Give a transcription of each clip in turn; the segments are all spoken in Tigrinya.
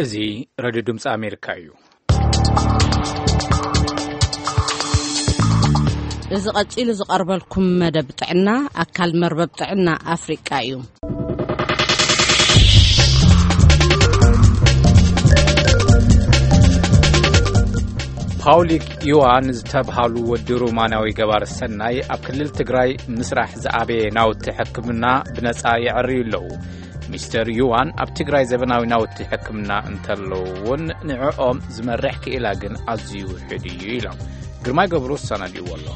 እዚ ሬድዮ ድምፂ ኣሜሪካ እዩ። እዚ ቀጺሉ ዝቐርበልኩም መደብ ጥዕና፣ ኣካል መርበብ ጥዕና ኣፍሪቃ እዩ። ፓውሊክ ዩዋን ዝተብሃሉ ወዲ ሮማናዊ ገባር ሰናይ ኣብ ክልል ትግራይ ምስራሕ ዝኣበየ ናውቲ ሕክምና ብነጻ የዕርዩ ኣለዉ። ሚስተር ዩዋን ኣብ ትግራይ ዘበናዊ ናውቲ ሕክምና እንተለዉ እውን ንዕኦም ዝመርሕ ክኢላ ግን ኣዝዩ ውሑድ እዩ ኢሎም። ግርማይ ገብሩ ሰነዲዎ ኣሎ።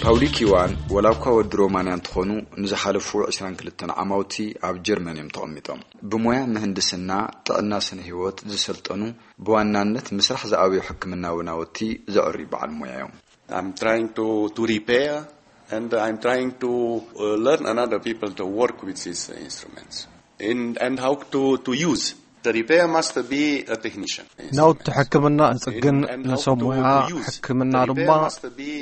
ፓውሊክ ዩዋን ወላ እኳ ወዲ ሮማንያ እንትኾኑ፣ ንዝሓለፉ ዕስራን ክልተን ዓማውቲ ኣብ ጀርመን እዮም ተቐሚጦም። ብሞያ ምህንድስና ጥዕና ስነ ህይወት ዝሰልጠኑ፣ ብዋናነት ምስራሕ ዝኣበዩ ሕክምናዊ ናውቲ ዘዕርዩ በዓል ሞያ እዮም። I'm trying to, to repair, and I'm trying to, uh, learn another people to work with these instruments. In, and how to, to use. The repair must be a technician. ናውቲ ሕክምና እጽግን፣ ንሰብ ሞያ ሕክምና ድማ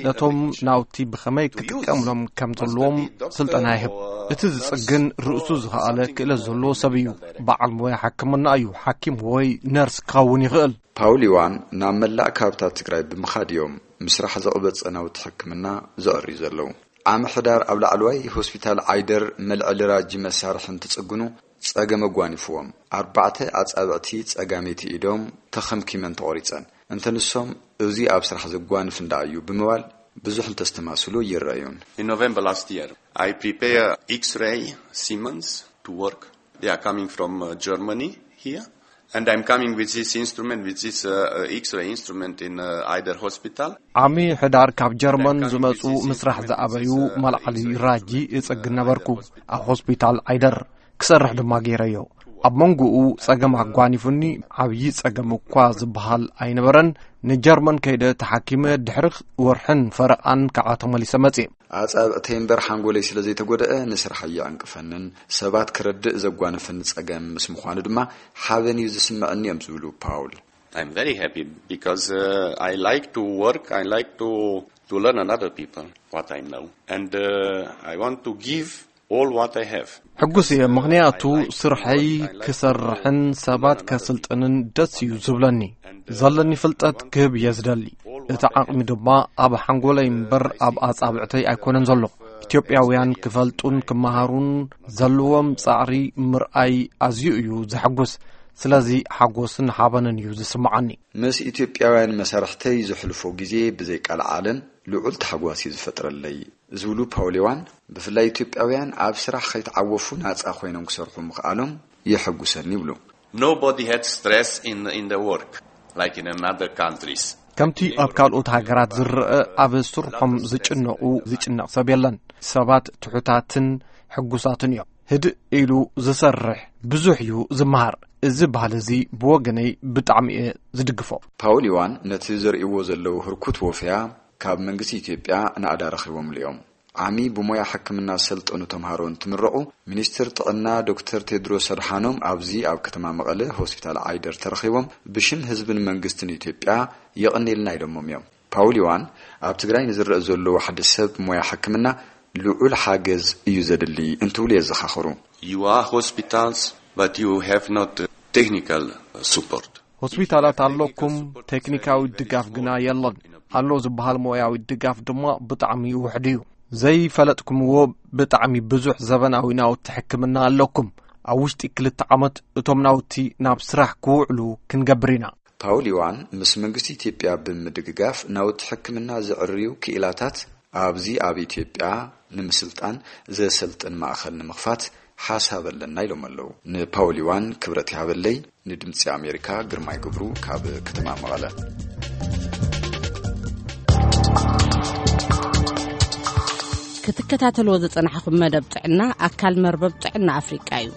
ነቶም ናውቲ ብኸመይ ክጥቀምሎም ከም ዘለዎም ስልጠና ይህብ። እቲ ዝጽግን ርእሱ ዝኸኣለ ክእለት ዘለዎ ሰብ እዩ። በዓል ሞያ ሕክምና እዩ። ሓኪም ወይ ነርስ ክኸውን ይኽእል። ፓውል ዮዋን ናብ መላእ ከባብታት ትግራይ ብምኻድ እዮም ምስራሕ ዘቕበጸ ናውቲ ሕክምና ዘዕርዩ ዘለዉ። ዓሚ ሕዳር ኣብ ላዕለዋይ ሆስፒታል ዓይደር መልዐሊ ራጂ መሳርሒ እንትጽግኑ ጸገም ኣጓኒፍዎም። ኣርባዕተ ኣጻብዕቲ ጸጋመይቲ ኢዶም ተኸምኪመን ተቖሪጸን። እንተ ንሶም እዚ ኣብ ስራሕ ዘጓንፍ እንዳ እዩ ብምባል ብዙሕ እንተስተማስሉ ይረኣዩን። In November last year, I prepare X-ray Siemens to work. They are coming from, uh, Germany here. And I'm coming with this instrument, with this, uh, uh, X-ray instrument in, uh, Eider Hospital. ዓሚ ሕዳር ካብ ጀርመን ዝመጹ ምስራሕ ዝኣበዩ መልዓሊ ራጂ እጸግን ነበርኩ። ኣብ ሆስፒታል ዓይደር ክሰርሕ ድማ ገይረዮ። ኣብ መንጎኡ ጸገም ኣጓኒፉኒ፣ ዓብዪ ጸገም እኳ ዝበሃል ኣይነበረን። ንጀርመን ከይደ ተሓኪመ ድሕሪ ወርሕን ፈረቓን ከዓ ተመሊሰ መጽየ። ኣጻብዕተይ እምበር ሓንጎለይ ስለ ዘይተጎድአ ንስራሕ ኣየዕንቅፈንን፣ ሰባት ክረድእ ዘጓነፈኒ ጸገም ምስ ምዃኑ ድማ ሓበን እዩ ዝስምዐኒ እዮም ዝብሉ ፓውል። I'm very happy because, uh, I like to work, I like to, to learn another people what I know. And, uh, I want to give all what I have. ሕጉስ እየ፣ ምኽንያቱ ስርሐይ ክሰርሕን ሰባት ከስልጥንን ደስ እዩ ዝብለኒ። ዘለኒ ፍልጠት ክህብ እየ ዝደሊ። እቲ ዓቕሚ ድማ ኣብ ሓንጎለይ እምበር ኣብ ኣጻብዕተይ ኣይኮነን ዘሎ። ኢትዮጵያውያን ክፈልጡን ክመሃሩን ዘለዎም ጻዕሪ ምርኣይ ኣዝዩ እዩ ዘሐጉስ። ስለዚ ሓጎስን ሓበንን እዩ ዝስምዓኒ። ምስ ኢትዮጵያውያን መሳርሕተይ ዘሕልፎ ግዜ ብዘይ ቃል ዓለም ልዑል ታሕጓስ እዩ ዝፈጥረለይ ዝብሉ ፓውል ዮዋን፣ ብፍላይ ኢትዮጵያውያን ኣብ ስራሕ ከይተዓወፉ ናጻ ኮይኖም ክሰርሑ ምኽኣሎም የሐጉሰኒ ይብሉ። Nobody had stress in, in the work, like in another countries. ከምቲ ኣብ ካልኦት ሃገራት ዝረአ ኣብ ስርሖም ዝጭነቑ ዝጭነቕ ሰብ የለን። ሰባት ትሑታትን ሕጉሳትን እዮም። ህድእ ኢሉ ዝሰርሕ ብዙሕ እዩ ዝመሃር። እዚ ባህሊ እዚ ብወገነይ ብጣዕሚ እየ ዝድግፎ። ፓውል ዮዋን ነቲ ዘርእይዎ ዘለዉ ህርኩት ወፈያ ካብ መንግስቲ ኢትዮጵያ ናእዳ ረኺቦምሉ እዮም። ዓሚ ብሞያ ሕክምና ዝሰልጠኑ ተምሃሮ እንትምረቑ፣ ሚኒስትር ጥዕና ዶክተር ቴድሮስ ኣድሓኖም ኣብዚ ኣብ ከተማ መቐለ ሆስፒታል ዓይደር ተረኺቦም ብሽም ህዝብን መንግስትን ኢትዮጵያ የቐንየልና ኢሎሞም እዮም። ፓውል ዮዋን ኣብ ትግራይ ንዝረአ ዘሎ ዋሕዲ ሰብ ሞያ ሕክምና ልዑል ሓገዝ እዩ ዘድሊ እንትብሉ የዘኻኽሩ። You are hospitals, but you have not technical support. ሆስፒታላት ኣለኩም፣ ቴክኒካዊ ድጋፍ ግና የለን። ኣሎ ዝበሃል ሞያዊ ድጋፍ ድማ ብጣዕሚ ውሕድ እዩ። ዘይፈለጥኩምዎ ብጣዕሚ ብዙሕ ዘበናዊ ናውቲ ሕክምና ኣለኩም። ኣብ ውሽጢ ክልተ ዓመት እቶም ናውቲ ናብ ስራሕ ክውዕሉ ክንገብር ኢና። ፓውል ዮዋን ምስ መንግስቲ ኢትዮጵያ ብምድግጋፍ ናውቲ ሕክምና ዘዕርዩ ክኢላታት ኣብዚ ኣብ ኢትዮጵያ ንምስልጣን ዘሰልጥን ማእኸል ንምኽፋት ሓሳብ ኣለና ኢሎም ኣለዉ። ንፓውል ዮዋን ክብረት ይሃበለይ፣ ንድምፂ ኣሜሪካ ግርማይ ገብሩ ካብ ከተማ መቐለ። ክትከታተልዎ ዝጸናሕኹም መደብ ጥዕና ኣካል መርበብ ጥዕና ኣፍሪቃ እዩ።